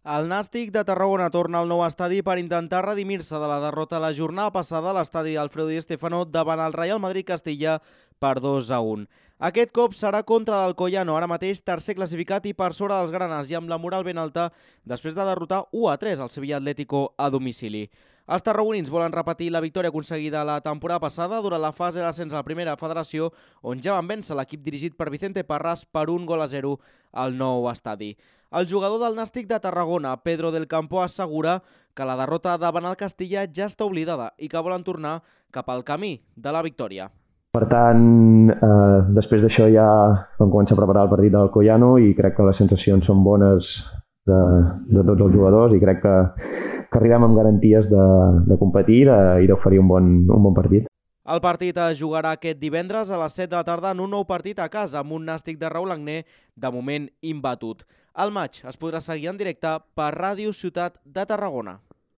El Nàstic de Tarragona torna al nou estadi per intentar redimir-se de la derrota la jornada passada a l'estadi Alfredo Di Stéfano davant el Real Madrid Castilla per 2-1. Aquest cop serà contra l'Alcoyano, ara mateix tercer classificat i per sobre dels granes i amb la moral ben alta després de derrotar 1-3 al Sevilla Atlético a domicili. Els tarragonins volen repetir la victòria aconseguida la temporada passada durant la fase d'ascens a la primera federació, on ja van vèncer l'equip dirigit per Vicente Parras per 1-0 al nou estadi. El jugador del Nàstic de Tarragona, Pedro del Campo, assegura que la derrota davant el Castilla ja està oblidada i que volen tornar cap al camí de la victòria. Per tant, després d'això ja vam començar a preparar el partit del Alcoyano i crec que les sensacions són bones de tots els jugadors i crec que arribem amb garanties de competir i d'oferir un bon partit. El partit es jugarà aquest divendres a les 7 de la tarda en un nou partit a casa amb un Nàstic de Raül Agné de moment imbatut. El maig es podrà seguir en directe per Ràdio Ciutat de Tarragona.